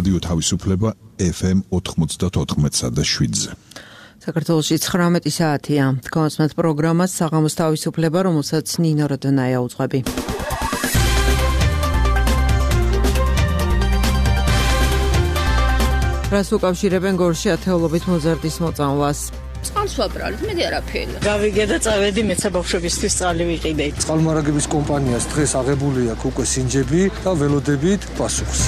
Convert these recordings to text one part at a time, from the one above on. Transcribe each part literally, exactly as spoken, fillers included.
რადიო თავისუფლება ეფ ემ ოთხმოცდაოთხ და შვიდზე. საქართველოში ცხრამეტი საათია. თქვენს პროგრამას საღამოს თავისუფლება, რომელსაც ნინო როდონაია უძღვები. რას უკავშირებენ გორში ათეულობით მოზარდის მოწამვლას? წყალს ვაბრალეთ, მეტი არაფერი. გავიგე და წავედი მეცა ბავშვებისთვის წყალი ვიყიდე. წყალმარაგების კომპანიას დღეს აღებული აქვს უკვე სინჯები და ველოდებით პასუხს.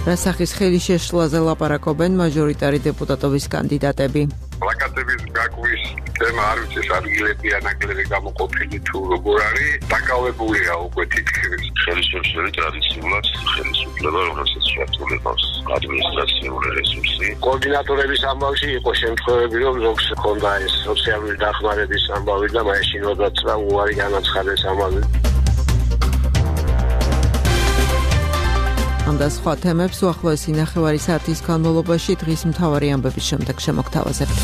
რასახის ხელის შეშლაზე ლაპარაკობენ მაჟორიტარი დეპუტატობის კანდიდატები. პლაკატების გაკვის თემა არ ვიცი, ადგილები ანაკლები გამოყოფილი თუ როგორ არის, დაკავებულია უკვე თითქმის ხელისუფლების ტრადიციულად ხელისუფლება, რომელსაც შეადგენს ადმინისტრაციული რესურსი. კოორდინატორების ამბავში იყო შემთხვევები, რომ ზოგს ჰქონდა ეს სოციალური დახმარების ამბავი და მაშინ როდესაც უარი განაცხადეს ამაზე. ამ და სხვა თემებს უახლოესი ნახევარი საათის განმავლობაში დღის მთავარი ამბების შემდეგ შემოგთავაზებთ.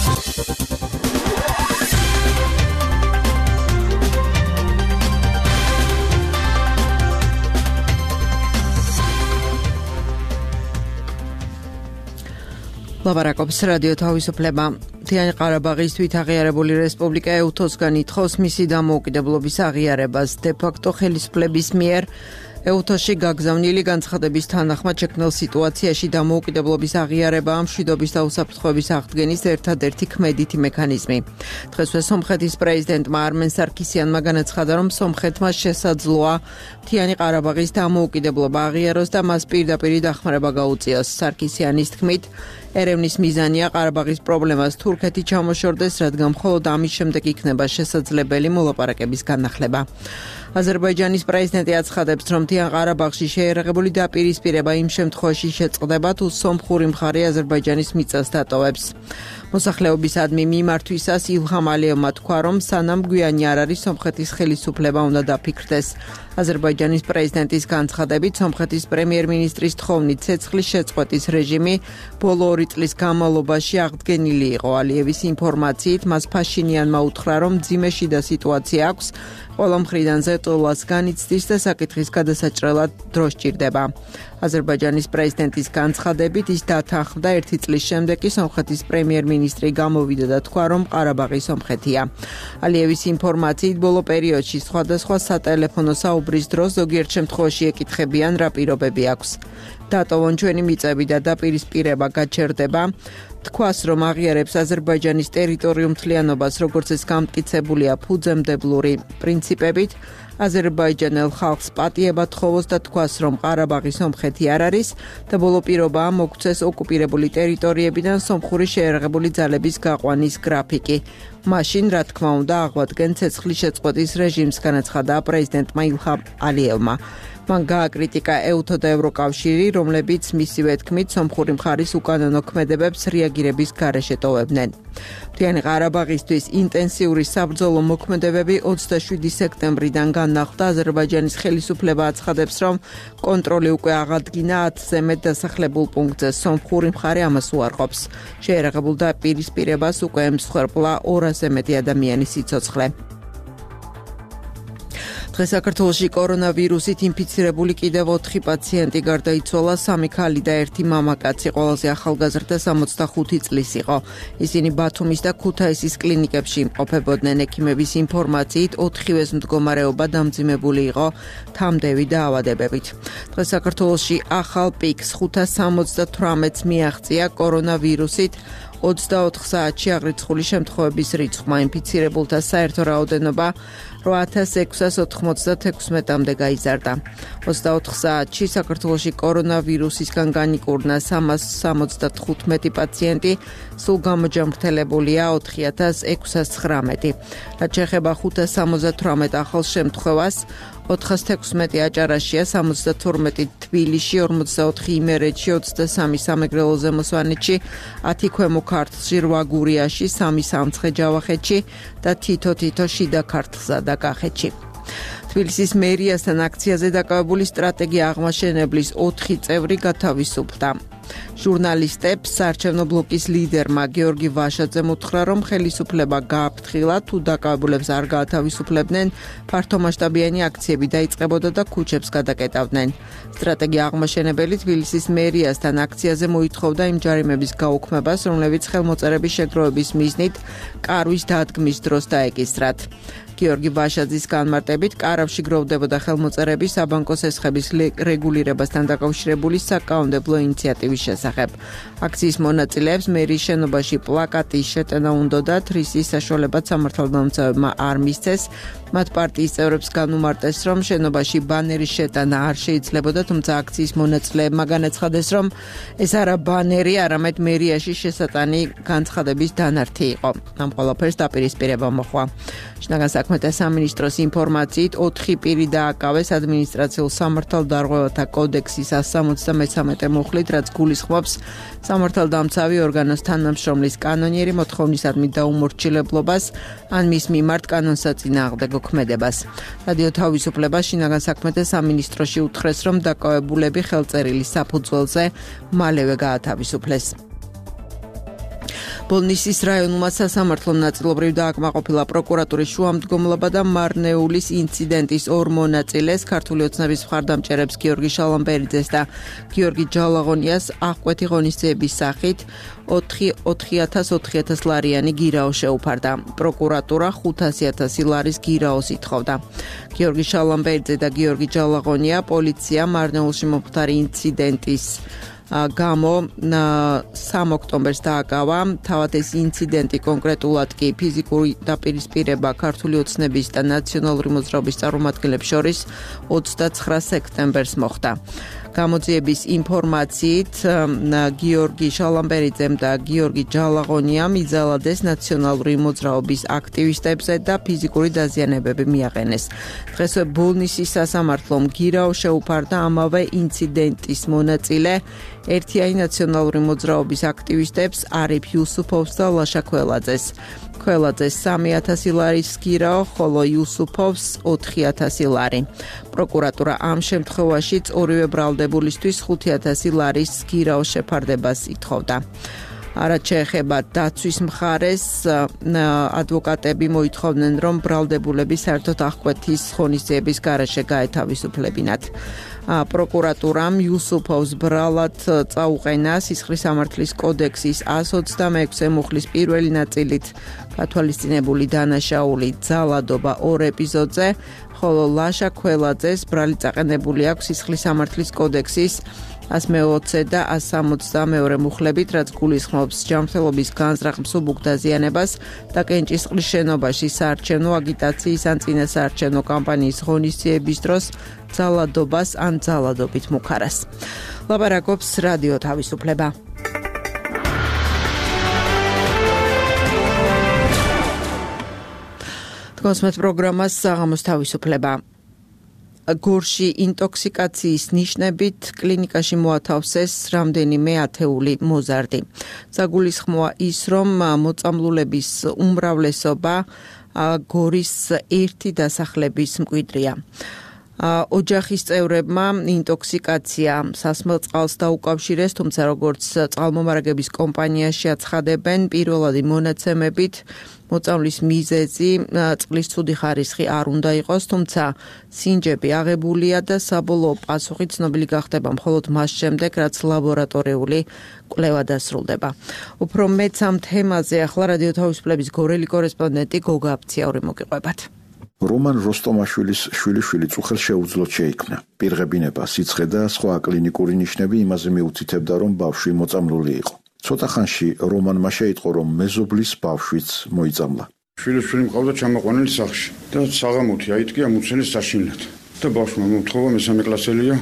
ლაპარაკობს რადიო თავისუფლება. მთიანი ყარაბაღის თვითაღიარებული რესპუბლიკა ეუთოსგან ითხოვს მისი დამოუკიდებლობის აღიარებას. დე-ფაქტო ხელისუფლების მიერ ეუთოში გაგზავნილი განცხადების თანახმად შექმნილ სიტუაციაში დამოუკიდებლობის აღიარება მშვიდობის და უსაფრთხოების აღდგენის ერთადერთი ქმედითი მექანიზმი. დღესვე სომხეთის პრეზიდენტმა არმენ სარქისიანმა განაცხადა, რომ სომხეთმა შესაძლოა მთიანი ყარაბაღის დამოუკიდებლობა აღიაროს და მას პირდაპირ დახმარება გაუწიოს. სარქისიანის თქმით, ერევნის მიზანია ყარაბაღის პრობლემას თურქეთი ჩამოშორდეს, რადგან მხოლოდ ამის შემდეგ იქნება შესაძლებელი მოლაპარაკების განახლება. აზერბაიჯანის პრეზიდენტი აცხადებს, რომ მთიან ყარაბაღში შეერაღებული დაპირისპირება იმ შემთხვევაში შეწყდება, თუ სომხური მხარე აზერბაიჯანის მიწას დატოვებს. მოსახლეობისადმი მიმართვისას ილჰამ ალიევმა თქვა, რომ სანამ გვიანი არ არის სომხეთის ხელისუფლება უნდა დაფიქრდეს. აზერბაიჯანის პრეზიდენტის განცხადებით, სომხეთის პრემიერ-მინისტრის თხოვნით ცეცხლის შეწყვეტის რეჟიმი ბოლო ორი წლის განმავლობაში აღდგენილი იყო. ალიევის ინფორმაციით, მას ფაშინიანმა უთხრა, რომ მძიმე შიდა სიტუაცია აქვს, ყველა მხრიდან ზეწოლას განიცდის და საკითხის გადასაჭრელად დრო სჭირდება. აზერბაიჯანის პრეზიდენტის განცხადებით, ის დათანხმდა ერთი წლის შემდეგ კი სომხეთის პრემიერ-მინისტრი გამოვიდა და თქვა, რომ ყარაბაღი სომხეთია. ალიევის ინფორმაციით, ბოლო პერიოდში სხვადასხვა სატელეფონო საუბრის დროს ზოგიერთ შემთხვევაში ეკითხებიან, რა პირობები აქვს. დატოვონ ჩვენი მიწები და დაპირისპირება გაჩერდება. თქვას, რომ აღიარებს აზერბაიჯანის ტერიტორიულ მთლიანობას, როგორც ეს გამტკიცებულია ფუძემდებლური პრინციპებით, აზერბაიჯანელ ხალხს პატიება თხოვოს და თქვას, რომ ყარაბაღი სომხეთი არ არის და ბოლო პირობაა მოგცეს ოკუპირებული ტერიტორიებიდან სომხური შეერაღებული ძალების გაყვანის გრაფიკი. მაშინ, რა თქმა უნდა, აღვადგენ ცეცხლის შეწყვეტის რეჟიმს, განაცხადა პრეზიდენტმა ილჰამ ალიევმა. მან გააკრიტიკა ეუთო და ევროკავშირი, რომლებიც მისივე თქმით სომხური მხარის უკანონო ქმედებებს რეაგირების გარეშე ტოვებდნენ. მთიანი ყარაბაღისთვის ინტენსიური საბრძოლო მოქმედებები ოცდაშვიდი სექტემბრიდან განახლდა. აზერბაიჯანის ხელისუფლება აცხადებს, რომ კონტროლი უკვე აღადგინა ათზე მეტ დასახლებულ პუნქტზე. სომხური მხარე ამას უარყოფს. შეერაღებულ დაპირისპირებას უკვე ემსხვერპლა ორასზე მეტი ადამიანის სიცოცხლე. დღეს საქართველოში კორონავირუსით ინფიცირებული კიდევ ოთხი პაციენტი გარდაიცვალა, სამი ქალი და ერთი მამაკაცი, ყველაზე ახალგაზრდა სამოცდახუთი წლის იყო. ისინი ბათუმის და ქუთაისის კლინიკებში იმყოფებოდნენ. ექიმების ინფორმაციით, ოთხივეს მდგომარეობა დამძიმებული იყო თამდევი დაავადებებით. დღეს საქართველოში ახალ პიკს ხუთას სამოცდათვრამეტს მიაღწია კორონავირუსით. ოცდაოთხ საათში აღრიცხული შემთხვევების რიცხვმა ინფიცირებულთა საერთო რაოდენობა რვა ათას ექვსას ოთხმოცდათექვსმეტამდე გაიზარდა. ოცდაოთხ საათში საქართველოში კორონავირუსისგან განიკურნა სამას სამოცდათხუთმეტი პაციენტი, სულ გამოჯამრთელებულია ოთხი ათას ექვსას ცხრამეტი. რაც შეეხება ხუთას სამოცდათვრამეტ ახალ შემთხვევას, ოთხას თექვსმეტი აჭარაშია, სამოცდათორმეტი თბილისში, ორმოცდაოთხი იმერეთში, ოცდასამი სამეგრელო ზემოსვანეთში, ათი ქვემო ქართლში, რვა გურიაში, სამი სამცხე-ჯავახეთში და თითო-თითო შიდა ქართლსა და კახეთში. თბილისის მერიასთან აქციაზე დაკავებული სტრატეგია აღმაშენებლის ოთხი წევრი გათავისუფლდა. ჟურნალისტებს საარჩევნო ბლოკის ლიდერმა გიორგი ვაშაძემ უთხრა, რომ ხელისუფლება გააფრთხილა, თუ დაკავებულებს არ გაათავისუფლებდნენ, ფართომასშტაბიანი აქციები დაიწყებოდა და ქუჩებს გადაკეტავდნენ. სტრატეგია აღმაშენებელი თბილისის მერიასთან აქციაზე მოითხოვდა იმ ჯარიმების გაუქმებას, რომლებიც ხელმოწერების შეგროვების მიზნით კარვის დადგმის დროს დაეკისრათ. გიორგი ვაშაძის განმარტებით, კარავში გროვდებოდა ხელმოწერები საბანკო სესხების რეგულირებასთან დაკავშირებული საკანონმდებლო ინიციატივის შესახებ. აქციის მონაწილეებს მერიის შენობაში პლაკატის შეტანა უნდოდათ, რისის საშუალებაც სამართალდამცავებმა არ მისცეს. მათ პარტიის წევრებს განუმარტეს, რომ შენობაში ბანერის შეტანა არ შეიძლებოდა, თუმცა აქციის მონაწილეებმა განაცხადეს, რომ ეს არა ბანერი, არამედ მერიაში შესატანი განცხადების დანართი იყო. ამ ყველაფერს დაპირისპირება მოჰყვა. შინაგან საქმეთა სამინისტროს ინფორმაციით, ოთხი პირი დააკავეს ადმინისტრაციულ სამართალდარღვევათა კოდექსის one seventy-three მუხლით, რაც გულისხმობს სამართალდამცავი ორგანოს თანამშრომლის კანონიერი მოთხოვნისადმი დაუმორჩილებლობას ან მის მიმართ კანონსაწინააღმდეგო ქმედებას. რადიო თავისუფლება შინაგან საქმეთა სამინისტროში უთხრეს, რომ დაკავებულები ხელწერილის საფუძველზე მალევე გაათავისუფლეს. ბოლნისის რაიონულმა სასამართლომ ნაწილობრივ დააკმაყოფილა პროკურატურის შუამდგომლობა და მარნეულის ინციდენტის ორ მონაწილეს, ქართული ოცნების მხარდამჭერებს გიორგი შალამბერიძეს და გიორგი ჯალაღონიას აღკვეთი ღონისძიების სახით ოთხი ათას ლარიანი გირაო შეუფარდა. პროკურატურა ხუთასი ათასი ლარის გირაოს ითხოვდა. გიორგი შალამბერიძე და გიორგი ჯალაღონია პოლიცია მარნეულში მომხდარი ინციდენტის გამო სამ ოქტომბერს დააკავა. თავად ეს ინციდენტი კონკრეტულად კი ფიზიკური დაპირისპირება ქართული ოცნების და ნაციონალური მოძრაობის წარმომადგენლებს შორის ოცდაცხრა სექტემბერს მოხდა. გამოძიების ინფორმაციით, გიორგი შალამბერიძემ და გიორგი ჯალაღონიამ იძალადეს ნაციონალური მოძრაობის აქტივისტებზე და ფიზიკური დაზიანებები მიაყენეს. დღეს ბოლნისის სასამართლომ გირაო შეუფარდა ამავე ინციდენტის მონაწილე ერთიანი ნაციონალური მოძრაობის აქტივისტებს არიფ იუსუფოვს და ლაშა ქველაძეს. ქველაძეს სამი ათასი ლარის გირაო, ხოლო იუსუფოვს ოთხი ათასი ლარი. პროკურატურა ამ შემთხვევაშიც ორივე ბრალდებულისთვის ხუთი ათასი ლარის გირაოს შეფარდებას ითხოვდა. რაც შეეხება დაცვის მხარეს, ადვოკატები მოითხოვდნენ, რომ ბრალდებულები საერთოდ აღკვეთის ღონისძიების გარეშე გაეთავისუფლებინათ. პროკურატურამ იუსუფოვს ბრალად წაუყენა სისხლის სამართლის კოდექსის one twenty-six მუხლის პირველი ნაწილით გათვალისწინებული დანაშაული ძალადობა ორ ეპიზოდზე, ხოლო ლაშა ქველაძეს ბრალი წაყენებული აქვს სისხლის სამართლის კოდექსის one twenty და one seventy-two მუხლებით, რაც გულისხმობს ჯანმრთელობის განზრახ მსუბუქ დაზიანებას და კენჭისყრის შენობაში საარჩევნო აგიტაციის ან წინასაარჩევნო კამპანიის ღონისძიების დროს ძალადობას ან ძალადობით მუქარას. ლაპარაკობს რადიო თავისუფლება. თქვენს პროგრამას საღამოს თავისუფლება. გორში ინტოქსიკაციის ნიშნებით კლინიკაში მოათავსეს რამდენიმე ათეული მოზარდი. საგულისხმოა ის, რომ მოწამლულების უმრავლესობა გორის ერთი დასახლების მკვიდრია. ოჯახის წევრებმა ინტოქსიკაცია სასმელ წყალს დაუკავშირეს, თუმცა როგორც წყალმომარაგების კომპანიაში აცხადებენ, პირველადი მონაცემებით მოწამვლის მიზეზი წყლის ცუდი ხარისხი არ უნდა იყოს, თუმცა სინჯები აღებულია და საბოლოო პასუხი ცნობილი გახდება მხოლოდ მას შემდეგ, რაც ლაბორატორიული კვლევა დასრულდება. უფრო მეც ამ თემაზე ახლა რადიო თავისუფლების გორელი კორესპონდენტი გოგა აფციური მოგიყვებათ. რომან როსტომაშვილის შვილიშვილი წუხელს შეუძლოდ შეიქმნა. პირღებინება, სიცხე და სხვა კლინიკური ნიშნები იმაზე მიუთითებდა, რომ ბავშვი მოწამლული იყო. ცოტა ხანში რომანმა შეიტყო, რომ მეზობლის ბავშვიც მოიწამლა. შვილიშვილი მყავდა ჩამოყვანილი სახლში და საღამოთი აიტკია მუცელის საშინლად. და ბავშვმა მოთხოვა მესამე კლასელია,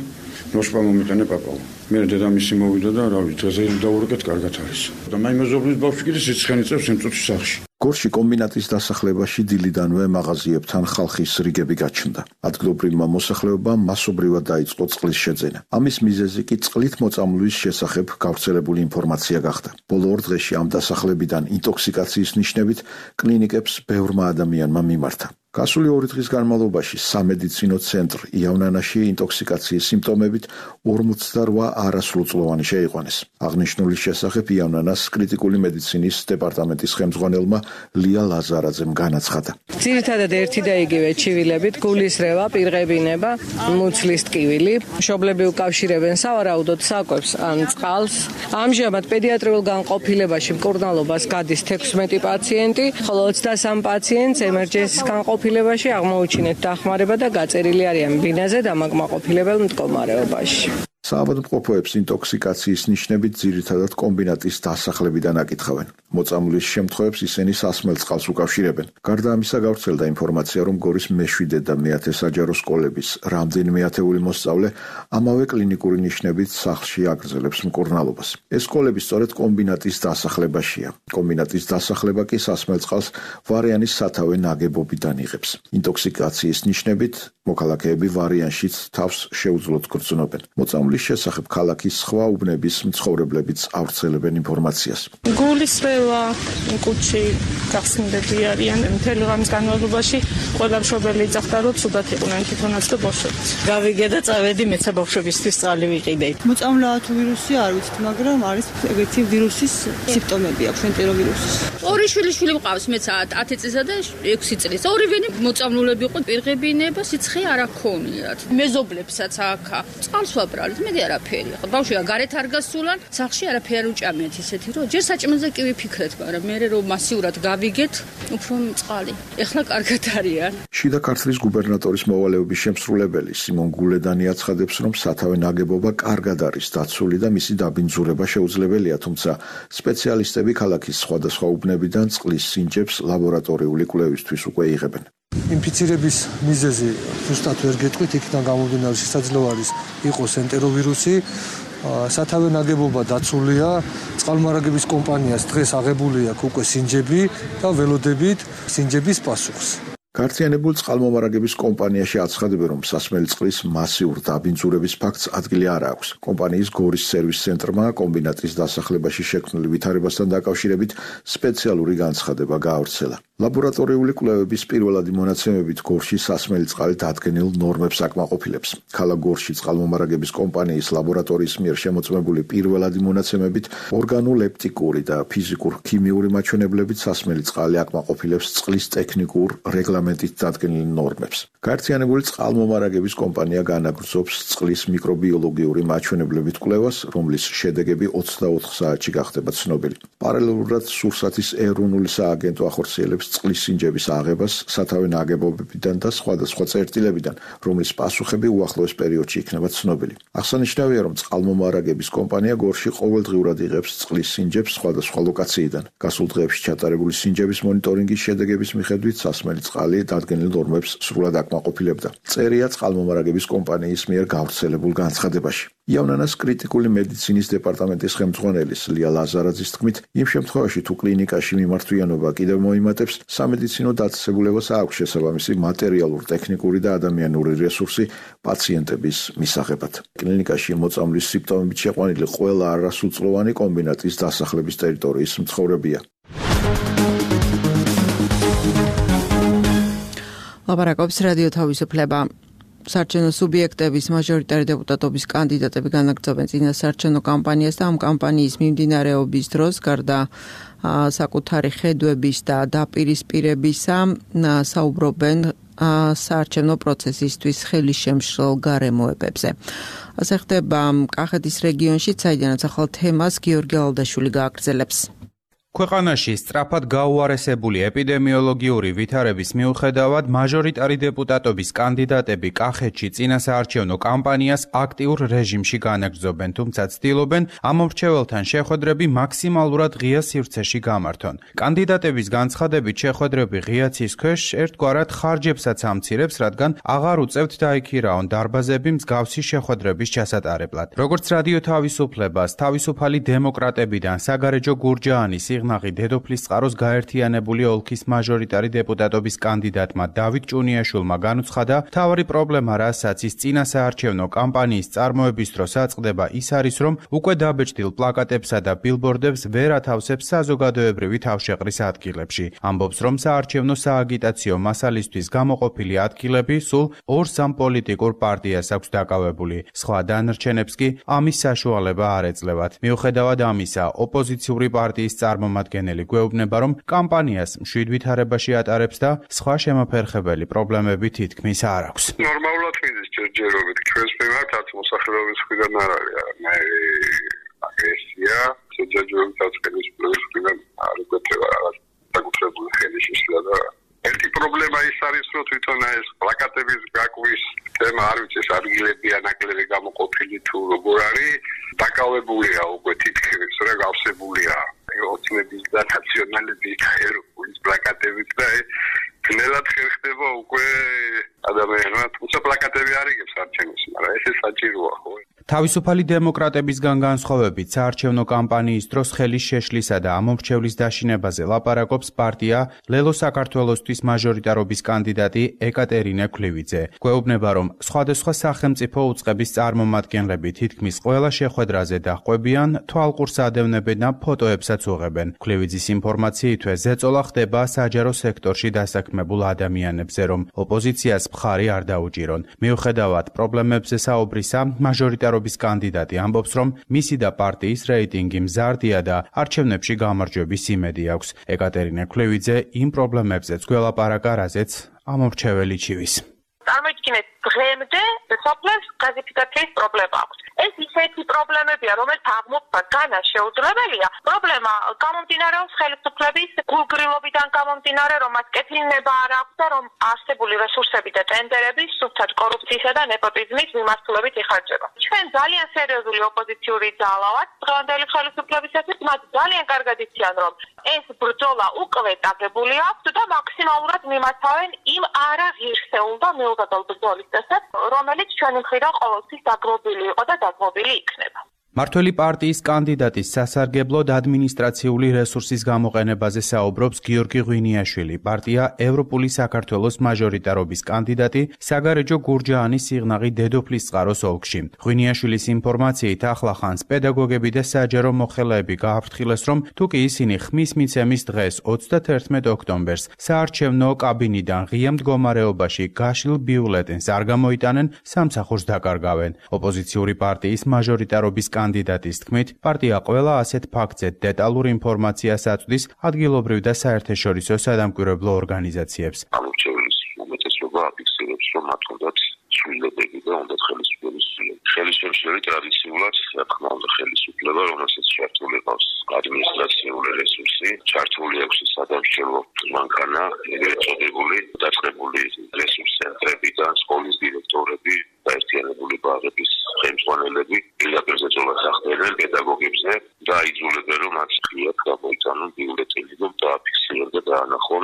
ნოშპა მომიტანე პაპაო. მე დედამისი მოვიდა და რა ვიცი, დღეს დაურეკეთ კარგად არის. და მაი მეზობლის ბავშვი კიდე სიცხენი წევს იმ წუთში სახლში. გორში კომბინატის დასახლებაში დილიდანვე მაღაზიებთან ხალხის რიგები გაჩნდა. ადგილობრივმა მოსახლეობამ მასობრივად დაიწყო წყლის შეძენა. ამის მიზეზი კი წყლით მოწამვლის შესახებ გავრცელებული ინფორმაცია გახდა. ბოლო ორ დღეში ამ დასახლებიდან ინტოქსიკაციის ნიშნებით კლინიკებს ბევრმა ადამიანმა მიმართა. გასული ორი დღის განმავლობაში სამედიცინო ცენტრ იავნანაში ინტოქსიკაციის სიმპტომებით ორმოცდაოთხ არასრულწლოვანი შეიყვანეს. აღნიშნულის შესახებ იავნანას კრიტიკული მედიცინის დეპარტამენტის ხელმძღვანელმა ლია ლაზარაძემ განაცხადა. ძირითადად ერთი და იგივე ჩივილებით გულისრევა, პირღებინება, მუცლის ტკივილი, მშობლები უკავშირებენ სავარაუდოდ საკვებს ან წყალს. ამჟამად პედიატრიულ განყოფილებაში მკურნალობას გადის თექვსმეტი პაციენტი, ხოლო ოცდასამი პაციენტს ემერჯენსის განყოფილებაში აღმოუჩინეთ დახმარება და გაწერილი არიან ბინაზე დამაკმაყოფილებელ მდგომარეობაში. საავადმყოფოებს ინტოქსიკაციის ნიშნებით ძირითადად კომბინატის დასახლებიდან აკითხავენ. მოწამვლის შემთხვევებს ისინი სასმელ წყალს უკავშირებენ. გარდა ამისა გავრცელდა ინფორმაცია, რომ გორის მეშვიდე და მეათე საჯარო სკოლების რამდენიმე ათეული მოსწავლე ამავე კლინიკური ნიშნებით სახლში აგრძელებს მკურნალობას. ეს სკოლები სწორედ კომბინატის დასახლებაშია. კომბინატის დასახლება კი სასმელ წყალს ვარიანის სათავე ნაგებობიდან იღებს. ინტოქსიკაციის ნიშნებით მოქალაქეები ვარიანშიც თავს შეუძლოდ გრძნობენ. მოწამვლის შესახებ ქალაქის სხვა უბნების მცხოვრებლებიც ავრცელებენ ინფორმაციას. გულისრევა, კუჩი, გახსნილები არიან მთელი ღამის განმავლობაში, ყველა მშობელი იძახდა, რომ ცუდად იყვნენ თვითონაც და ბავშვებიც. გავიგე და წავედი მეცა ბავშვებისთვის წყალი ვიყიდე. მოწამვლა თუ ვირუსი არ ვიცით, მაგრამ არის ეგეთი ვირუსის სიმპტომები აქვს, ენტეროვირუსის. ორი შვილი შვილი მყავს, მეც ათი წლისა და ექვსი წლის. ორივენი მოწამლულები იყო, პირღებინება, სიცხე არ აქონიათ. მეზობლებსაც აქა წყალს ვაბრალეთ. მე არაფერი. ბავშვია გარეთ არ გასულან, სახლში არაფერი არ უჭამიათ ისეთი, რომ ჯერ საჭმელზე კი ვიფიქრეთ, მაგრამ მე რომ მასიურად გავიგეთ, უფრო წყალი. ეხლა კარგად არიან. შიდა ქართლის გუბერნატორის მოვალეობის შემსრულებელი სიმონ გულედანი აცხადებს, რომ სათავე ნაგებობა კარგად არის დაცული და მისი დაბინძურება შეუძლებელია, თუმცა სპეციალისტები ქალაქის სხვადასხვა უბნებიდან წყლის სინჯებს ლაბორატორიული კვლევისთვის უკვე იღებენ. ინფიცირების მიზეზი ზუსტად ვერ გეტყვით, იქიდან გამომდინარე შესაძლოა არის იყოს ენტეროვირუსი. სათავე ნაგებობა დაცულია, წყალმარაგების კომპანიას დღეს აღებული აქვს უკვე სინჯები და ველოდებით სინჯების პასუხს. გაერთიანებულ წყალმომარაგების კომპანიაში აცხადებენ, რომ სასმელი წყლის მასიურ დაბინძურების ფაქტს ადგილი არ აქვს. კომპანიის გორის სერვის ცენტრმა კომბინატის დასახლებაში შექმნილ ვითარებასთან დაკავშირებით სპეციალური განცხადება გაავრცელა. ლაბორატორიული კვლევების პირველადი მონაცემებით გორში სასმელი წყალი დადგენილ ნორმებს აკმაყოფილებს. ქალაქ გორში წყალმომარაგების კომპანიის ლაბორატორიის მიერ შემოწმებული პირველადი მონაცემებით ორგანოლეპტიკური და ფიზიკურ-ქიმიური მაჩვენებლებით სასმელი წყალი აკმაყოფილებს წყლის ტექნიკურ რეგლამენტით დადგენილ ნორმებს. გაერთიანებული წყალმომარაგების კომპანია განაგრძობს წყლის მიკრობიოლოგიური მაჩვენებლებით კვლევას, რომლის შედეგები ოცდაოთხ საათში გახდება ცნობილი. პარალელურად სურსათის ეროვნული სააგენტო ახორციელებს წყლის სინჯების აღებას სათავე ნაგებობებიდან და სხვადასხვა წერტილებიდან, რომლის პასუხები უახლოეს პერიოდში იქნება ცნობილი. აღსანიშნავია, რომ წყალმომარაგების კომპანია გორში ყოველდღიურად იღებს წყლის სინჯებს სხვადასხვა ლოკაციიდან. გასულ დღეებში ჩატარებული სინჯების მონიტორინგის შედეგების მიხედვით სასმელი წყალი დადგენილ ნორმებს სრულად აკმაყოფილებდა. წერია წყალმომარაგების კომპანიის მიერ გავრცელებულ განცხადებაში. იავნანას კრიტიკული მედიცინის დეპარტამენტის ხელმძღვანელის ლია ლაზარაძის თქმით, იმ შემთხვევაში თუ კლინიკაში მიმართვიანობა კიდევ მოიმატებს, სამედიცინო დაწესებულებას აქვს შესაბამისი მატერიალურ-ტექნიკური და ადამიანური რესურსი პაციენტების მისაღებად. კლინიკაში მოწამვლის სიმპტომებით შეყვანილი ყველა არასრულწლოვანი კომბინატის დასახლების ტერიტორიის მცხოვრებია. ლაპარაკობს რადიო თავისუფლება. საარჩევნო სუბიექტების მაჟორიტარი დეპუტატობის კანდიდატები განაგრძობენ წინასაარჩევნო კამპანიას და ამ კამპანიის მიმდინარეობის დროს გარდა საკუთარი ხედვების და დაპირისპირებისა საუბრობენ საარჩევნო პროცესისთვის ხელისშემშლელ გარემოებებზე. ასე ხდება კახეთის რეგიონში, საიდანაც ახალ თემას გიორგი ალდაშვილი გააგრძელებს. ქვეყანაში სწრაფად გაუარესებული ეპიდემიოლოგიური ვითარების მიუხედავად მაჟორიტარი დეპუტატობის კანდიდატები კახეთში წინასაარჩევნო კამპანიას აქტიურ რეჟიმში განაგრძობენ, თუმცა ცდილობენ ამ მრჩეველთან შეხვედრები მაქსიმალურად ღია სივრცეში გამართონ. კანდიდატების განცხადებით შეხვედრები ღია ცის ქვეშ ერთგვარად ხარჯებსაც ამცირებს, რადგან აღარ უწევთ დაიქირაონ დარბაზები მსგავსი შეხვედრების ჩასატარებლად. როგორც რადიო თავისუფლებას თავისუფალი დემოკრატებიდან საგარეჯო გურჯაანის სიღნაღი დედოფლის წყაროს გაერთიანებული ოლქის მაჟორიტარი დეპუტატობის კანდიდატმა დავით ჭუნიაშვილმა განუცხადა, მთავარი პრობლემა, რასაც ის წინასაარჩევნო კამპანიის წარმოების დროს აწყდება, ის არის, რომ უკვე დაბეჭდილ პლაკატებსა და ბილბორდებს ვერ ათავსებს საზოგადოებრივი თავშეყრის ადგილებში. ამბობს, რომ საარჩევნო სააგიტაციო მასალისთვის გამოყოფილი ადგილები სულ ორ-სამ პოლიტიკურ პარტიას აქვს დაკავებული. სხვა დანარჩენებს კი ამის საშუალება არ ეძლევათ. მიუხედავად ამისა, ოპოზიციური პარტიის წარმომადგენელი გვეუბნება, რომ კამპანიას მშვიდ ვითარებაში ატარებს და სხვა შემოფერხებელი პრობლემები თითქმის არ აქვს. ნორმალურად მიზის ჯერჯერობით ჩვენს მიმართ არც მოსახლეობის მხრიდან არ არის მე აგრესია, ჯერჯერობით არც ხელისუფლების მხრიდან არ გვეწევა რაღაც საკუთრებული ხელისშეშლა და ერთი პრობლემა ის არის, რომ თვითონ ეს პლაკატების გაკვის თემა არ ვიცი, ეს ადგილები ანაკლები გამოყოფილი თუ როგორ არის, დაკავებულია უკვე თითქმის, რა გავსებულია ოცნების და ნაციონალების და ევროპულის პლაკატებით და ნელად ხერხდება უკვე ადამიანმა, თუმცა პლაკატები არ იგებს არჩევნებს, მაგრამ ეს საჭიროა, ხო? თავისუფალი დემოკრატებისგან განსხვავებით, საარჩევნო კამპანიის დროს ხელის შეშლისა და ამომრჩევლის დაშინებაზე ლაპარაკობს პარტია ლელო საქართველოსთვის მაჟორიტარობის კანდიდატი ეკატერინე ქლივიძე. გვეუბნება, რომ სხვადასხვა სახელმწიფო უწყების წარმომადგენლები თითქმის ყველა შეხვედრაზე დაჰყვებიან, თვალყურს ადევნებენ და ფოტოებსაც უღებენ. ქლივიძის ინფორმაციითვე ზეწოლა ხდება საჯარო სექტორში დასაქმებულ ადამიანებზე, რომ ოპოზიციას მხარი არ დაუჭირონ. მიუხედავად პრობლემებზე საუბრისა, მაჟორიტარო კანდიდატი ამბობს, რომ მისი და პარტიის რეიტინგი მზარდია და არჩევნებში გამარჯვების იმედი აქვს. ეკატერინე ქლივიძე იმ პრობლემებზეც გველაპარაკა, რაზეც ამომრჩეველი ჩივის. წარმოიდგინეთ, დღემდე სოფლებს გაზიფიკაციის პრობლემა აქვს. ეს ისეთი პრობლემებია, რომელიც აღმოფხვრა განა შეუძლებელია. პრობლემა გამომდინარეობს ხელისუფლების გულგრილობიდან გამომდინარე, რომ მას კეთილნება არ აქვს და რომ არსებული რესურსები და ტენდერები სუფთად კორუფციისა და ნეპოტიზმის მიმართულებით იხარჯება. ჩვენ ძალიან სერიოზული ოპოზიციური ძალა ვართ დღევანდელი ხელისუფლებისათვის, მათ ძალიან კარგად იციან, რომ ეს ბრძოლა უკვე დაგებული აქვს და მაქსიმალურად მიმართავენ იმ არაღირსეულ და მიუღებელ ბრძოლის წესებს, რომელიც ჩვენი მხრიდან ყოველთვის დაგმობილი იყო და დაგმობილი იქნება. მართველი პარტიის კანდიდატის სასარგებლოდ ადმინისტრაციული რესურსის გამოყენებაზე საუბრობს გიორგი ღვინიაშვილი, პარტია ევროპული საქართველოს მაჟორიტარობის კანდიდატი საგარეჯო გურჯაანის სიღნაღი დედოფლის წყაროს ოლქში. ღვინიაშვილის ინფორმაციით ახლახანს პედაგოგები და საჯარო მოხელეები გააფრთხილეს, რომ თუკი ისინი ხმის მიცემის დღეს ოცდათერთმეტ ოქტომბერს საარჩევნო კაბინიდან ღია მდგომარეობაში გაშლილ ბიულეტენს არ გამოიტანენ, სამსახურს დაკარგავენ. ოპოზიციური პარტიის მაჟორიტარობის კანდიდატის თქმით, პარტია ყველა ასეთ ფაქტზე დეტალურ ინფორმაციას აწვდის ადგილობრივ და საერთაშორისო სადამკვირვებლო ორგანიზაციებს. ამორჩევლის უმეტესობა აფიქსირებს, რომ მათ უნდათ ცვლილებები და უნდათ ხელისუფლების ცვლილება. ხელისუფლების ტრადიციულად, რა თქმა უნდა, ხელისუფლება, რომელსაც ჩართული ყავს ადმინისტრაციული რესურსი, ჩართული აქვს სადამსჯელო მანქანა, ეგრეთ წოდებული დაწყებული რესურს ცენტრებიდან, სკოლის დირექტორები, გაერთიანებული ბაღების ხელმძღვანელები პირდაპირ ზეწოლას ახდენენ პედაგოგებზე და აიძულებენ, რომ მათ ღიად გამოიტანონ ბიულეტენი და დააფიქსირონ და დაანახონ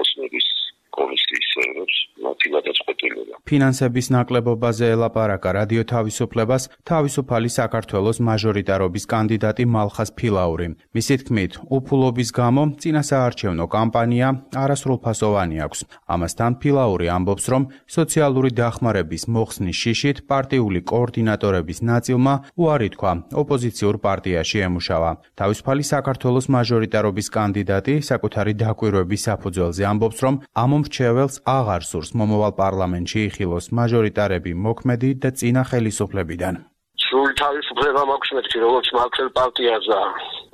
ოცნების კომისიის წევრებს მათი გადაწყვეტილება. ფინანსების ნაკლებობაზე ელაპარაკა რადიო თავისუფლებას თავისუფალი საქართველოს მაჟორიტარობის კანდიდატი მალხაზ ფილაური. მისი თქმით, უფულობის გამო წინასაარჩევნო კამპანია არასრულფასოვანი აქვს. ამასთან ფილაური ამბობს, რომ სოციალური დახმარების მოხსნის შიშით პარტიული კოორდინატორების ნაწილმა უარი თქვა ოპოზიციურ პარტიაში ემუშავა. თავისუფალი საქართველოს მაჟორიტარობის კანდიდატი საკუთარი დაკვირვების საფუძველზე ამბობს, რომ ამომრჩეველს აღარ სურს მომავალ პარლამენტში იხილოს მაჟორიტარები მოქმედი და წინა ხელისუფლებიდან. სრული თავისუფლება მაქვს მეთქი, როგორც მართლ პარტიას და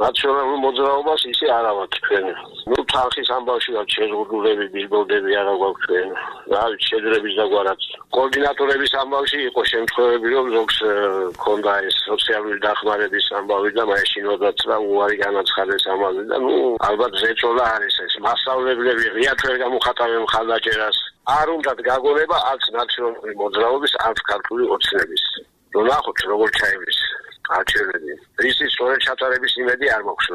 ნაციონალურ მოძრაობას ისე არა მაქვს ჩვენ. ნუ თანხის ამბავში ვართ შეზღუდულები, ბილბორდები არა გვაქვს ჩვენ. რა ვიცი, შედრების დაგვარაც. კოორდინატორების ამბავში იყო შემთხვევები, რომ ზოგს ქონდა ეს სოციალური დახმარების ამბავი და მაეშინოდაც და უარი განაცხადეს ამაზე და ნუ ალბათ ზეწოლა არის ეს. მასწავლებლები ღიად ვერ გამოხატავენ მხარდაჭერას. არ უნდათ გაგონება არც ნაციონალური მოძრაობის, არც ქართული ოცნების. ნახოთ როგორ ჩაივლის არჩევნები. ისი სწორედ ჩატარების იმედი არ მაქვს.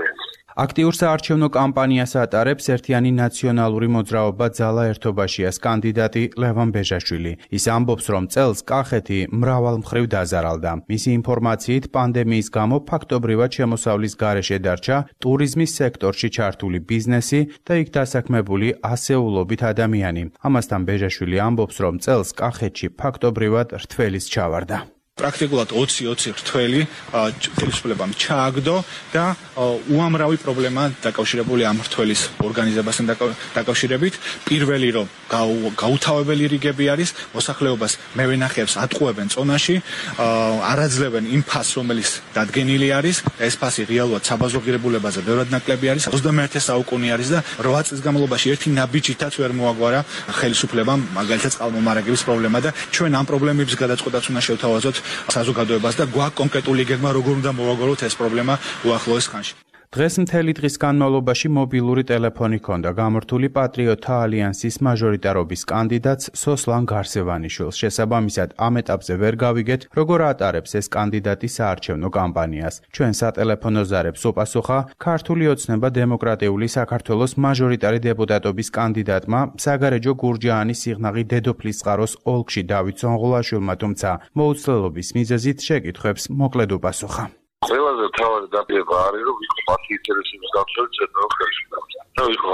აქტიურ საარჩევნო კამპანიას ატარებს ერთიანი ნაციონალური მოძრაობა ძალა ერთობაშიას კანდიდატი ლევან ბეჟაშვილი. ის ამბობს, რომ წელს კახეთი მრავალ მხრივ დაზარალდა. მისი ინფორმაციით, პანდემიის გამო ფაქტობრივად შემოსავლის გარეშე დარჩა ტურიზმის სექტორში ჩართული ბიზნესი და იქ დასაქმებული ასეულობით ადამიანი. ამასთან ბეჟაშვილი ამბობს, რომ წელს კახეთში ფაქტობრივად რთველის ჩავარდა. პრაქტიკულად ოცი ოცი რთველი ხელისუფლებამ ჩააგდო და უამრავი პრობლემა დაკავშირებული ამ რთველის ორგანიზებასთან დაკავშირებით. პირველი რომ გაუთავებელი რიგები არის, მოსახლეობას მევენახეებს ატყუებენ წონაში, არაძლევენ იმ ფასს, რომელიც დადგენილი არის. ეს ფასი რეალურად საბაზრო ღირებულებაზე ბევრად ნაკლები არის. ოცდამეერთე საუკუნე არის და რვა წლის განმავლობაში ერთი ნაბიჯითაც ვერ მოაგვარა ხელისუფლებამ მაგალითად წყალმომარაგების პრობლემა და ჩვენ ამ პრობლემების გადაწყვეტაც უნდა შევთავაზოთ საზოგადოებას და გვაქვს კონკრეტული გეგმა როგორ უნდა მოვაგოროთ ეს პრობლემა უახლოეს ხანში. დღეს მთელი დღის განმავლობაში მობილური ტელეფონი ჰქონდა გამართული პატრიოტთა ალიანსის მაჟორიტარობის კანდიდატს სოსლან გარსევანიშვილს. შესაბამისად, ამ ეტაპზე ვერ გავიგეთ, როგორ ატარებს ეს კანდიდატი საარჩევნო კამპანიას. ჩვენ სატელეფონო ზარებს უპასუხა ქართული ოცნება დემოკრატიული საქართველოს მაჟორიტარი დეპუტატობის კანდიდატმა საგარეჯო გურჯაანის სიღნაღი დედოფლისწყაროს ოლქში დავით ზონღულაშვილმა, თუმცა მოუცლელობის მიზეზით შეკითხვებს მოკლედ უპასუხა. ყველაზე მთავარი დაპირება არის, რომ ვიყო მათი ინტერესების გაცვლით ცენტრალურ ხელისუფლებას და ვიყო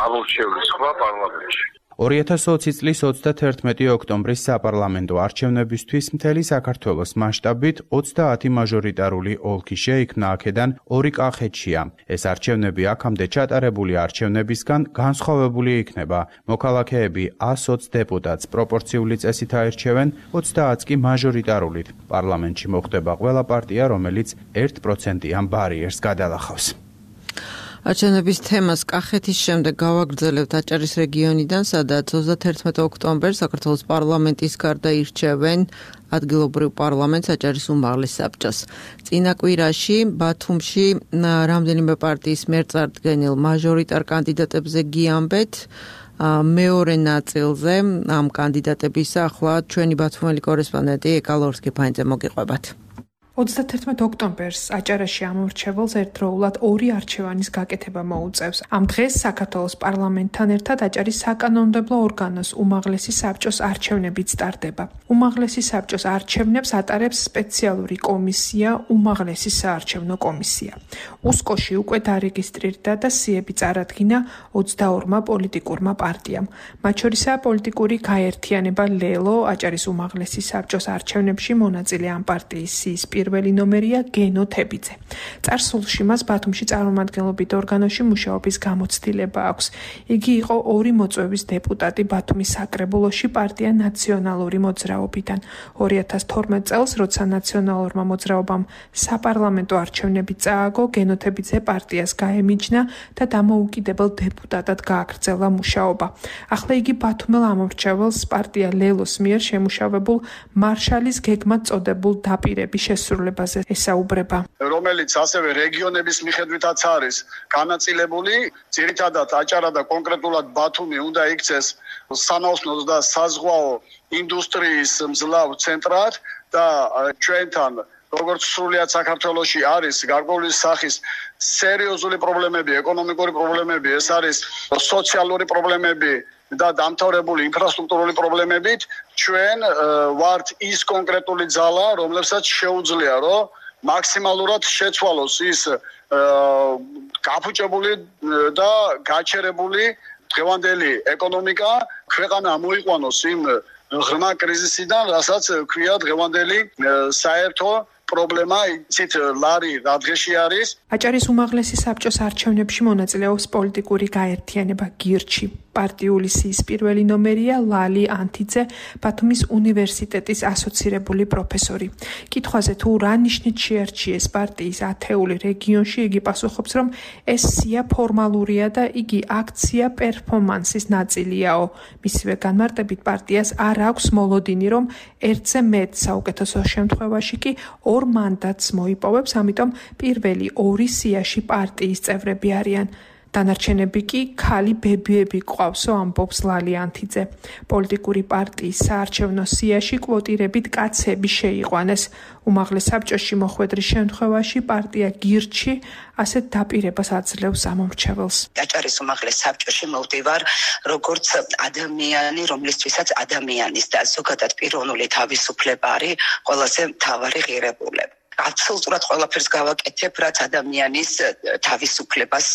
ამორჩევლის სხვა პარლამენტში. ორი ათას ოცი წლის ოცდათერთმეტი ოქტომბრის საპარლამენტო არჩევნებისთვის მთელი საქართველოს მასშტაბით ოცდაათი მაჟორიტარული ოლქი შეიქმნა, აქედან ორი კახეთშია. ეს არჩევნები აქამდე ჩატარებული არჩევნებისგან განსხვავებული იქნება. მოქალაქეები ას ოცი დეპუტატს პროპორციული წესით აირჩევენ, ოცდაათს კი მაჟორიტარულით. პარლამენტში მოხდება ყველა პარტია, რომელიც ერთ პროცენტიან ბარიერს გადალახავს. არჩევნების თემას კახეთის შემდეგ გავაგრძელებთ აჭარის რეგიონიდან, სადაც ოცდათერთმეტი ოქტომბერს საქართველოს პარლამენტის გარდა ირჩევენ ადგილობრივ პარლამენტს აჭარის უმაღლეს საბჭოს. წინა კვირაში ბათუმში რამდენიმე პარტიის მიერ წარდგენილ მაჟორიტარ კანდიდატებზე გიამბეთ. მეორე ნაწილზე ამ კანდიდატების ახლა ჩვენი ბათუმელი კორესპონდენტი ეკალორსკი ფაინძე მოგიყვებათ. ოცდათერთმეტი ოქტომბერს აჭარაში ამორჩეველს ერთდროულად ორი არჩევანის გაკეთება მოუწევს. ამ დღეს საქართველოს პარლამენტთან ერთად აჭარის საკანონმდებლო ორგანოს უმაღლესი საბჭოს არჩევნებიც ტარდება. უმაღლესი საბჭოს არჩევნებს ატარებს სპეციალური კომისია, უმაღლესი საარჩევნო კომისია. უსკოში უკვე დარეგისტრირდა და სიები წარადგინა ოცდაორმა პოლიტიკურმა პარტიამ. მათ შორისაა პოლიტიკური გაერთიანება ლელო, აჭარის უმაღლესი საბჭოს არჩევნებში მონაწილე ამ პარტიის სიის პირველი ნომერია გენო თებიძე. წარსულში მას ბათუმში წარმომადგენლობით ორგანოში მუშაობის გამოცდილება აქვს. იგი იყო ორი მოწვევის დეპუტატი ბათუმის საკრებულოში პარტია ნაციონალური მოძრაობიდან. ორი ათას თორმეტ წელს, როცა ნაციონალურმა მოძრაობამ საპარლამენტო არჩევნები წააგო, გენო თებიძე პარტიას გაემიჯნა და დამოუკიდებელ დეპუტატად გააგრძელა მუშაობა. ახლა იგი ბათუმელ ამორჩეველს პარტია ლელოს მიერ შემუშავებულ მარშალის გეგმად წოდებულ დაპირების შესრულებაზე ესაუბრება. რომელიც ასევე რეგიონების მიხედვითაც არის განაწილებული, ძირითადად აჭარა და კონკრეტულად ბათუმი უნდა იქცეს სანაოსნო და საზღვაო ინდუსტრიის მძლავ ცენტრად და ჩვენთან როგორც სრულიად საქართველოში არის გარკვეული სახის სერიოზული პრობლემები, ეკონომიკური პრობლემები, ეს არის სოციალური პრობლემები და დამთავრებული ინფრასტრუქტურული პრობლემებით, ჩვენ ვართ ის კონკრეტული ძალა, რომლებსაც შეუძლია, რომ მაქსიმალურად შეცვალოს ის გაფუჭებული და გაჩერებული დღევანდელი ეკონომიკა, ქვეყანა მოიყვანოს იმ ღრმა კრიზისიდან, რასაც ქვია დღევანდელი საერთო პრობლემა, იცით ლარი რა დღეში არის. აჭარის უმაღლესი საბჭოს არჩევნებში მონაწილეობს პოლიტიკური გაერთიანება გირჩი. პარტიული სიის პირველი ნომერია ლალი ანთიძე, ბათუმის უნივერსიტეტის ასოცირებული პროფესორი. კითხვაზე თუ რა ნიშნით შეარჩიეს პარტიის ათეული რეგიონში, იგი პასუხობს, რომ ეს სია ფორმალურია და იგი აქცია პერფორმანსის ნაწილიაო. მისივე განმარტებით პარტიას არ აქვს მოლოდინი, რომ ერთზე მეტ, საუკეთესო შემთხვევაში კი ორ მანდატს მოიპოვებს, ამიტომ პირველი ორი სიაში პარტიის წევრები არიან. დანარჩენები კი ქალი ბებიები ყავსო, ამბობს ლალი ანთიძე. პოლიტიკური პარტიის საარჩევნო სიაში კვოტირებით კაცები შეიყვანეს. უმაღლეს საბჭოში მოხვედრის შემთხვევაში პარტია გირჩი ასეთ დაპირებას აძლევს ამომრჩეველს. აჭარის უმაღლეს საბჭოში მოვდივარ როგორც ადამიანი, რომლისთვისაც ადამიანის და ზოგადად პიროვნული თავისუფლება არის ყველაზე მთავარი ღირებულება. აბსოლუტურად ყველაფერს გავაკეთებ, რაც ადამიანის თავისუფლებას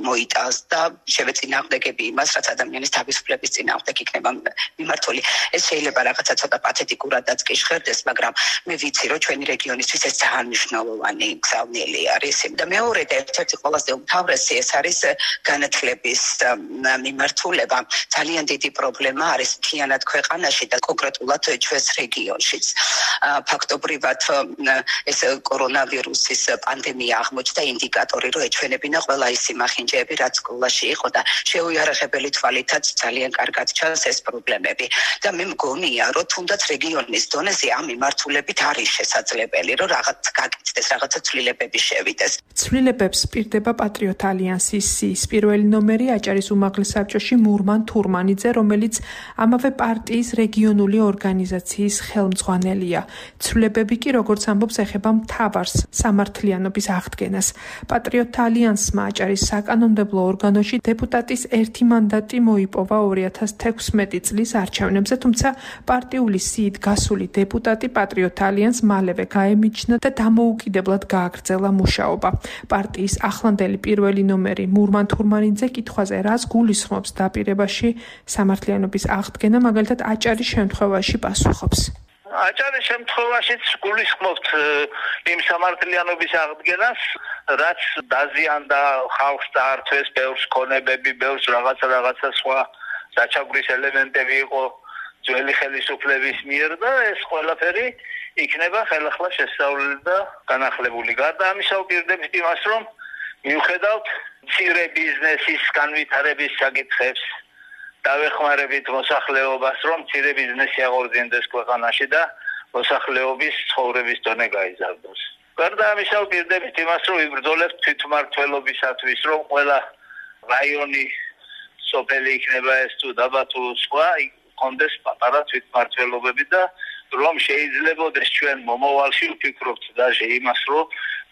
მოიტანს და შევეწინააღმდეგები იმას, რაც ადამიანის თავისუფლების წინააღმდეგ იქნება მიმართული. ეს შეიძლება რაღაცა ცოტა პათეტიკურადაც კი ჟღერდეს, მაგრამ მე ვიცი, რომ ჩვენი რეგიონისთვის ეს ძალიან მნიშვნელოვანი გზავნილი არის. და მეორე და ერთ-ერთი ყველაზე უმთავრესი ეს არის განათლების მიმართულება. ძალიან დიდი პრობლემა არის მთლიანად ქვეყანაში და კონკრეტულად ჩვენს რეგიონშიც. ფაქტობრივად ეს კორონავირუსის პანდემია აღმოჩნდა ინდიკატორი, რომ ეჩვენებინა ყველა ის იმახინჯეები, რაც სკოლაში იყო და შეუიარაღებელი თვალითაც ძალიან კარგად ჩანს ეს პრობლემები. და მე მგონია, რომ თუნდაც რეგიონის დონეზე ამ მიმართულებით არის შესაძლებელი, რომ რაღაც გაკეთდეს, რაღაცა ცვლილებები შევიდეს. ცვლილებებს პირდება პატრიოტ ალიანსის სიის პირველი ნომერი აჭარის უმაღლეს საბჭოში მურმან თურმანიძე, რომელიც ამავე პარტიის რეგიონული ორგანიზაციის ხელმძღვანელია. ცვლილებები კი, როგორც ამბობს, ეხება მთავარს სამართლიანობის აღდგენას. პატრიოტ ალიანსმა აჭარის საკანონმდებლო ორგანოში დეპუტატის ერთი მანდატი მოიპოვა ორი ათას თექვსმეტი წლის არჩევნებზე, თუმცა პარტიული სიით გასული დეპუტატი პატრიოტ ალიანსს მალევე გაემიჯნა და დამოუკიდებლად გააგრძელა მუშაობა. პარტიის ახლანდელი პირველი ნომერი მურმან თურმანიძე კითხვაზე, რას გულისხმობს დაპირებაში სამართლიანობის აღდგენა, მაგალითად აჭარის შემთხვევაში პასუხობს. აჭარის შემთხვევაშიც გულისხმობთ იმ სამართლიანობის აღდგენას, რაც დაზიანდა ხალხს დაართვეს ბევრს ქონებები, ბევრს რაღაცა რაღაცა სხვა საჩაგვრის ელემენტები იყო ძველი ხელისუფლების მიერ და ეს ყველაფერი იქნება ხელახლა შესწავლილი და განახლებული. გარდა ამისა ვპირდებით იმას, რომ მიუხედავთ მცირე ბიზნესის განვითარების საკითხებს დავეხმარებით მოსახლეობას, რომ მცირე ბიზნესი აღორძინდეს ქვეყანაში და მოსახლეობის ცხოვრების დონე გაიზარდოს. გარდა ამისა ვპირდებით იმას, რომ ვიბრძოლებთ თვითმმართველობისათვის, რომ ყველა რაიონი, სოფელი იქნება ეს თუ დაბა თუ სხვა, კონდეს პატარა თვითმმართველობები და რომ შეიძლებოდეს ჩვენ მომავალში ვფიქრობთ დაჟე იმას, რომ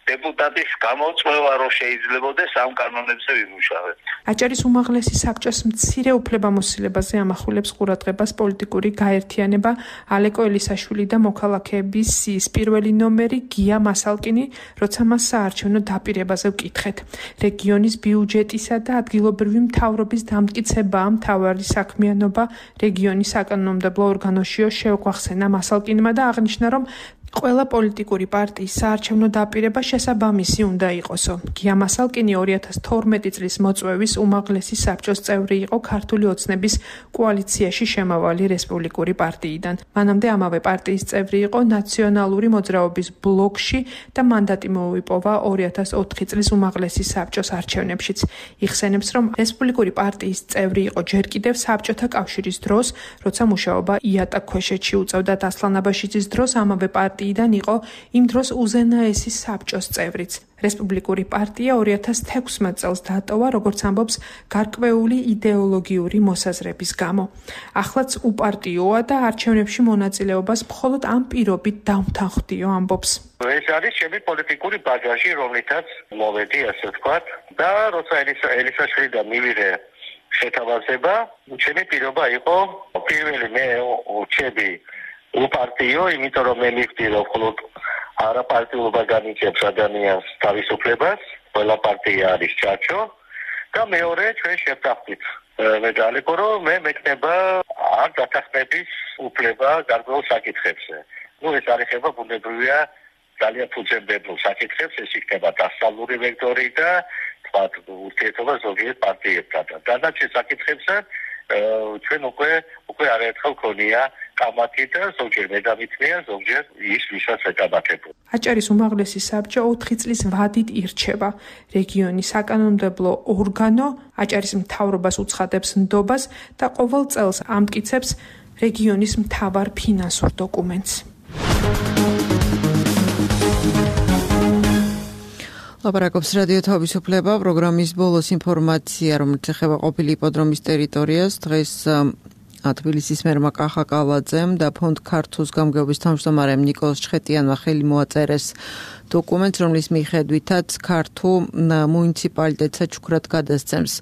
დეპუტატის გამოწვევა რო შეიძლებოდეს ამ კანონებზე ვიმუშავებთ. აჭარის უმაღლესი საბჭოს მცირე უფლებამოსილებაზე ამახვილებს ყურადღებას პოლიტიკური გაერთიანება ალეკო ელისაშვილი და მოქალაქეების სიის პირველი ნომერი გია მასალკინი, როცა მას საარჩევნო დაპირებაზე ვკითხეთ. რეგიონის ბიუჯეტისა და ადგილობრივი მთავრობის დამტკიცებაა მთავარი საქმიანობა რეგიონის საკანონმდებლო ორგანოშიო შეუგვახსენა მასალკინმა და აღნიშნა, რომ ყველა პოლიტიკური პარტიის საარჩევნო დაპირება შესაბამისი უნდა იყოსო. გია მასალკინი ორი ათას თორმეტი წლის მოწვევის უმაღლესი საბჭოს წევრი იყო ქართული ოცნების კოალიციაში შემავალი რესპუბლიკური პარტიიდან. მანამდე ამავე პარტიის წევრი იყო ნაციონალური მოძრაობის ბლოკში და მანდატი მოუპოვა ორი ათას ოთხი წლის უმაღლესი საბჭოს არჩევნებშიც. იხსენებს, რომ რესპუბლიკური პარტიის წევრი იყო ჯერ კიდევ საბჭოთა კავშირის დროს, როცა მუშაობა იატა ქვეშეთში უწევდა დასლან აბაშიძის დროს ამავე პარტია იდან იყო იმ დროს უზენაესი საბჭოს წევრიც. რესპუბლიკური პარტია ორი ათას თექვსმეტ წელს დატოვა, როგორც ამბობს, გარკვეული იდეოლოგიური მოსაზრების გამო. ახლაც უპარტიოა და არჩევნებში მონაწილეობას მხოლოდ ამ პირობით დავთანხმდიო, ამბობს. ეს არის ჩემი პოლიტიკური ბაგაჟი, რომლითაც მოვედი, ასე ვთქვათ, და როცა ელისაშვილი და მივიღე შეთავაზება, ჩემი პირობა იყო პირველი მე ურჩები უპარტიო, იმიტომ რომ მე მივხვდი, რომ მხოლოდ არაპარტიულობა განიცემს ადამიანს თავისუფლებას, ყველა პარტია არის ჩაჩო და მეორე ჩვენ შევთანხმდით. მე ძალიქო, რომ მე მექნება არ დათანხმების უფლება გარკვეულ საკითხებზე. ნუ ეს არის ხება ბუნებრივია ძალიან ფუძემდებელ საკითხებს, ეს იქნება დასავლური ვექტორი და თქვათ ურთიერთობა ზოგიერთ პარტიებთან. დანარჩენ საკითხებზე ჩვენ უკვე უკვე არაერთხელ ქონია კამათი და ზოგჯერ მე დამithმია, ზოგჯერ ის ვისაც ეკამათებო. აჭარის უმაღლესი საბჭო ოთხი წლის ვადით ირჩევა. რეგიონის საკანონმდებლო ორგანო აჭარის მთავრობას უცხადებს ნდობას და ყოველ წელს ამტკიცებს რეგიონის მთავარ ფინანსურ დოკუმენტს. ლაპარაკობს რადიო თავისუფლება, პროგრამის ბოლოს ინფორმაცია, რომელიც ეხება ყოფილი იპოდრომის ტერიტორიას. დღეს თბილისის მერმა კახა კალაძემ და ფონდ ქართუს გამგეობის თავმჯდომარემ ნიკოლოზ ჩხეტიანმა ხელი მოაწერეს დოკუმენტს, რომლის მიხედვითაც ქართუ მუნიციპალიტეტს საჩუქრად გადასცემს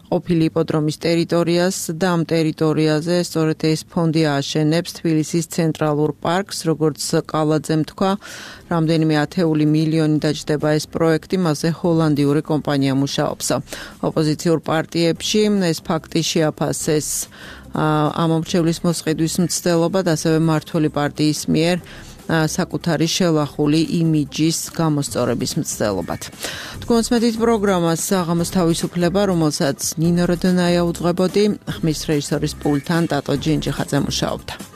ყოფილი იპოდრომის ტერიტორიას და ამ ტერიტორიაზე სწორედ ეს ფონდი ააშენებს თბილისის ცენტრალურ პარკს, როგორც კალაძემ თქვა, რამდენიმე ათეული მილიონი დაჯდება ეს პროექტი, მასზე ჰოლანდიური კომპანია მუშაობს. ოპოზიციურ პარტიებში ეს ფაქტი შეაფასეს ამ მომრჩევლის მოსყიდვის მცდელობად, ასევე მმართველი პარტიის მიერ საკუთარი შელახული იმიჯის გამოსწორების მცდელობად. თქვენს მედით პროგრამას საღამოს თავისუფლება, რომელსაც ნინო როდონაია უძღვებოდი, ხმის რეჟისორის პულტთან ტატო ჯინჯიხაძე მუშაობდა.